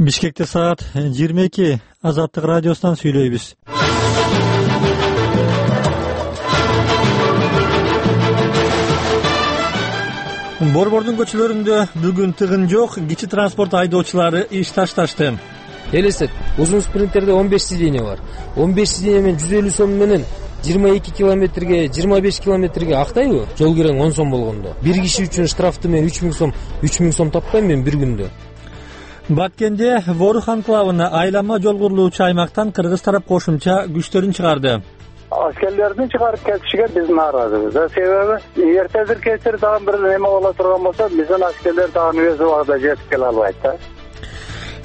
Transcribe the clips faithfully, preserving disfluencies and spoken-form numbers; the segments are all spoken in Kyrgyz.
Бишкекте саат жыйырма эки. Азаттык радиосунан сүйлөйбүз. Борбордун көчөлөрүндө бүгүн тыгын жок, кичи транспорт айдоочулары иш ташташты. Элестет, узун спринтерде он беш сиденье бар. он беш сиденье менен жүз элүү сом менен жыйырма эки километрге, жыйырма беш километрге актайбы? Жол кирең он сом болгондо. Бир киши үчүн штрафты мен үч миң сом, үч миң сом таппайм мен бир күндө. Баткенде Ворух анклавына айлама жол курулуучу аймактан кыргыз тарап кошумча күчтөрүн чыгарды. Аскерлердин чыгарып кетишиге биз нааразыбыз. Себеби эртедир кечир дагы бир неме боло турган болсо, биздин аскерлер дагы өз убагында жетип келе албайт да.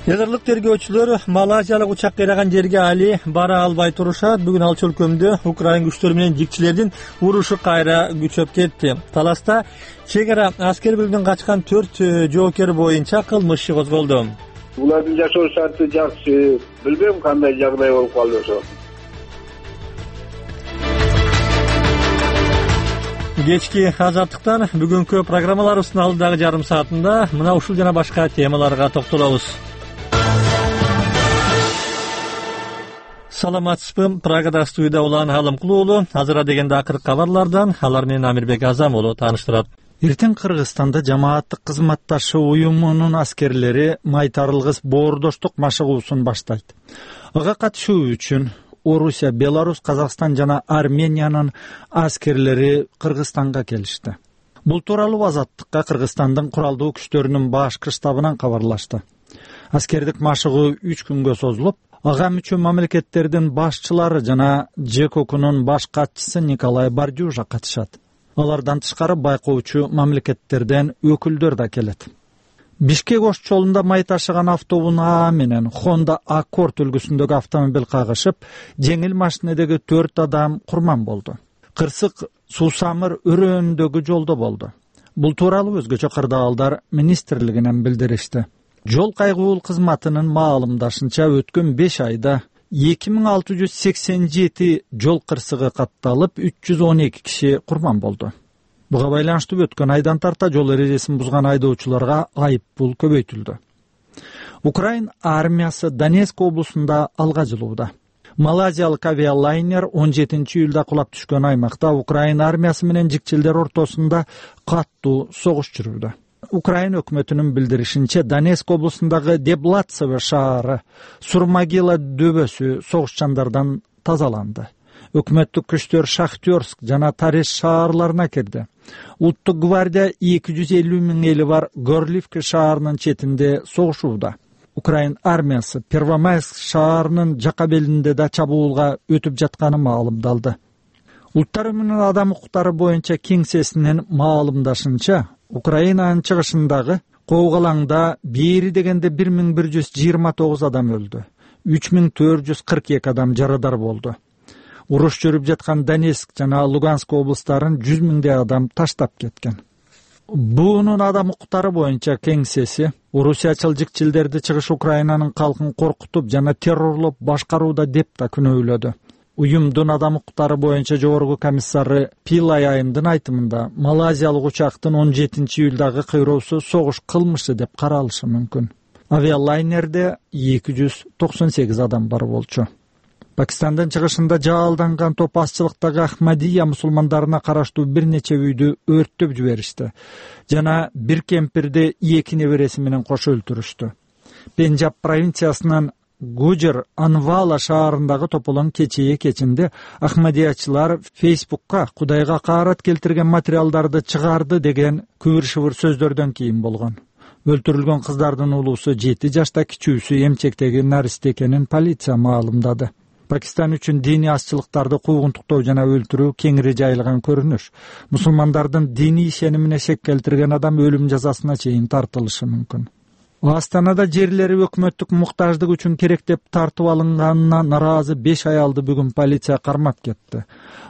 Язырлык тергөөчүлөр малайзиялык учак кыйраган жерге али бара албай турушат. Бүгүн ал өлкөмдө Украин күчтөрү менен жикчилердин урушу кайра күчөп кетти. Таласта чек ара аскер бөлүмүнөн качкан төрт жоокер боюнча кылмыш иши козголду. Булардын жашоо шарты жакшы, билбейм кандай жагдай болуп калды. Кечки азаттыктан бүгүнкү программаларыбыздын алдыдагы жарым саатында мына ушул жана башка темаларга токтолобуз. Саламатсызбы, Прагада студияда Улан Алымкул уулу. Азыр дегенде акыркы кабарлардан алар менен Амирбек Азам уулу тааныштырат. Эртең Кыргызстанда жамааттык кызматташы уюмунун аскерлери майтарылгыс боордоштук машыгуусун баштайт. Ага катышуу үчүн Орусия, Беларусь, Казакстан жана Армениянын аскерлери Кыргызстанга келишти. Бул тууралуу Азаттыкка Кыргызстандын куралдуу күчтөрүнүн башкы штабынан кабарлашты. Аскердик машыгуу үч күнгө созулуп, ага мүчө мамлекеттердин башчылары жана ЖЭКОКунун баш катчысы Николай Бардюжа катышат. Алардан тышкары байкоочу мамлекеттерден өкүлдөр да келет. Бишкек Ош жолунда май ташыган автобус А менен Honda Accord үлгүсүндөгү автомобиль кагышып, жеңил машинедеги төрт адам курман болду. Кырсык Суусамыр өрөөндөгү жолдо болду. Бул тууралуу өзгөчө кырдаалдар министрлигинен билдиришти. Жол кайгуул кызматынын маалымдашынча өткөн беш айда эки миң алты жүз сексен жети жол кырсыгы катталып, үч жүз он эки киши курман болду. Буга байланыштуу өткөн айдан тарта жол эрежесин бузган айдоочуларга айып пул көбөйтүлдү. Украин армиясы Донецк облусунда алга жылууда. Малайзиялык авиалайнер он жетинчи июлда кулап түшкөн аймакта Украин армиясы менен жикчилдер ортосунда каттуу согуш жүрүүдө. Украин өкмөтүнүн билдиришинче, Донецк облусундагы Деблатцево шаары, Сурмагила дөбөсү согушчандардан тазаланды. Өкмөттүк күчтөр Шахтерск жана Тареш шаарларына кирди. Улуттук гвардия эки жүз элүү миң эли бар Горлівка шаарынын четинде согушууда. Украин армиясы Первомайск шаарынын жака белинде да чабуулга өтүп жатканы маалымдалды. Улуттар уюмунун адам укуктары боюнча кеңсесинин маалымдашынча, Украинанын чыгышындагы Коогалаңда бери дегенде бир миң бир жүз жыйырма тогуз адам өлдү. үч миң төрт жүз кырк эки адам жарадар болду. Уруш жүрүп жаткан Донецк жана Луганск облустарын жүз миңдей адам таштап кеткен. Буунун адам укуктары боюнча кеңсеси орусиячыл жикчилдерди чыгыш Украинанын калкын коркутуп жана террорлоп башкарууда деп да күнөөлөдү. Уюмдун адам укуктары боюнча жогорку комиссары Пилай Айымдын айтымында, малайзиялык учактын он жетинчи июлдагы кыйроосу согуш кылмышы деп каралышы мүмкүн. Авиалайнерде эки жүз токсон сегиз адам бар болчу. Пакистандын чыгышында жаалданган топ азчылыктагы Ахмадия мусулмандарына караштуу бир нече үйдү өрттөп жиберишти жана бир кемпирди эки небереси менен кошо өлтүрүштү. Пенджаб провинциясынын Гуджар Анвала шаарындагы тополоң кечээ кечинде Ахмадиячылар Фейсбукка Кудайга каарат келтирген материалдарды чыгарды деген күбүр-шыбыр сөздөрдөн кийин болгон. Өлтүрүлгөн кыздардын улуусу жети жашта, кичүүсү эмчектеги наристе экенин полиция маалымдады. Пакистан үчүн диний азчылыктарды куугунтуктоо жана өлтүрүү кеңири жайылган көрүнүш. Мусулмандардын диний ишенимине шек келтирген адам өлүм жазасына чейин тартылышы мүмкүн. Астанада жерлери өкмөттүк муктаждык үчүн керек деп тартып алынганына наразы беш аялды бүгүн полиция кармап кетти.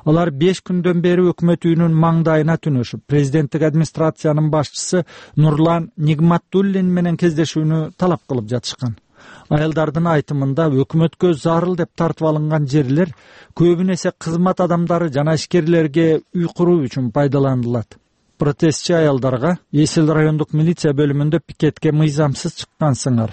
Алар беш күндөн бери өкмөт үйүнүн маңдайына түнөшүп, президенттик администрациянын башчысы Нурлан Нигматуллин менен кездешүүнү талап кылып жатышкан. Аялдардын айтымында өкмөткө зарыл деп тартып алынган жерлер көбүн эсе кызмат адамдары жана ишкерлерге үй куруу үчүн пайдаланылат. Протестчи аялдарга Эсил райондук милиция бөлүмүндө пикетке мыйзамсыз чыккансыңар,